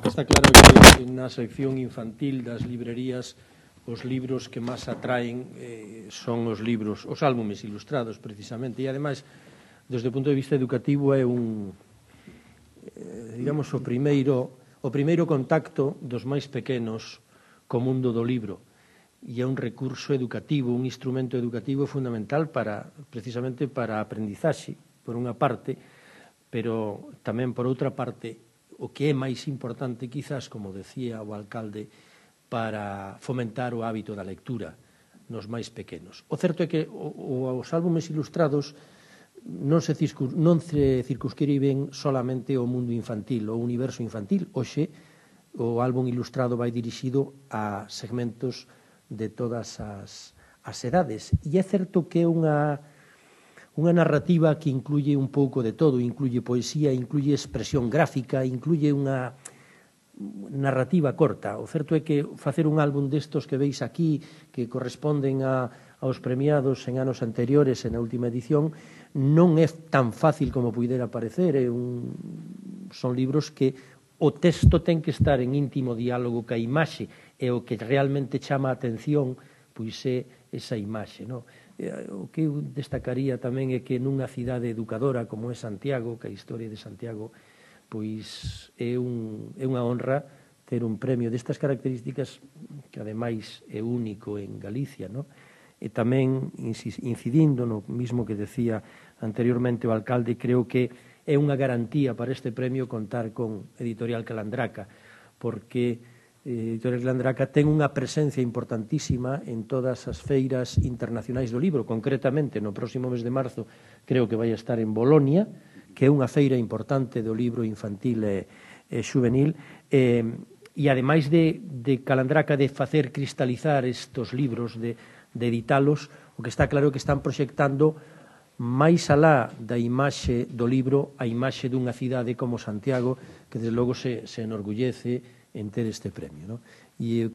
Está claro que na sección infantil das librerías os libros que máis atraen son os libros, os álbumes ilustrados, precisamente, e, ademais, desde o punto de vista educativo é digamos, o primeiro contacto dos máis pequenos co mundo do libro, e é un recurso educativo, un instrumento educativo fundamental precisamente para a aprendizaxe, por unha parte, pero tamén por outra parte, o que é máis importante, quizás, como decía o alcalde, para fomentar o hábito da lectura nos máis pequenos. O certo é que os álbumes ilustrados non se circunscriben solamente ao mundo infantil, ao universo infantil. Hoxe, o álbum ilustrado vai dirixido a segmentos de todas as edades. E é certo que é unha narrativa que incluye un pouco de todo, incluye poesía, incluye expresión gráfica, incluye unha narrativa corta. O certo é que facer un álbum destos que veis aquí, que corresponden aos premiados en anos anteriores e na última edición, non é tan fácil como puidera parecer. Son libros que o texto ten que estar en íntimo diálogo ca imaxe, e o que realmente chama a atención pois é esa imaxe, non? O que eu destacaría tamén é que nunha cidade educadora como é Santiago, que a historia de Santiago pois é unha honra ter un premio destas características, que ademais é único en Galicia, non? E tamén, incidindo no mismo que decía anteriormente o alcalde, creo que é unha garantía para este premio contar con Editorial Calandraca, porque Editorial Calandraca ten unha presencia importantísima en todas as feiras internacionais do libro. Concretamente, no próximo mes de marzo, creo que vai estar en Bolonia, que é unha feira importante do libro infantil e xuvenil, e ademais de Calandraca de facer cristalizar estes libros, de editalos, o que está claro é que están proxectando máis alá da imaxe do libro, a imaxe dunha cidade como Santiago, que desde logo se enorgullece en ter este premio, non? E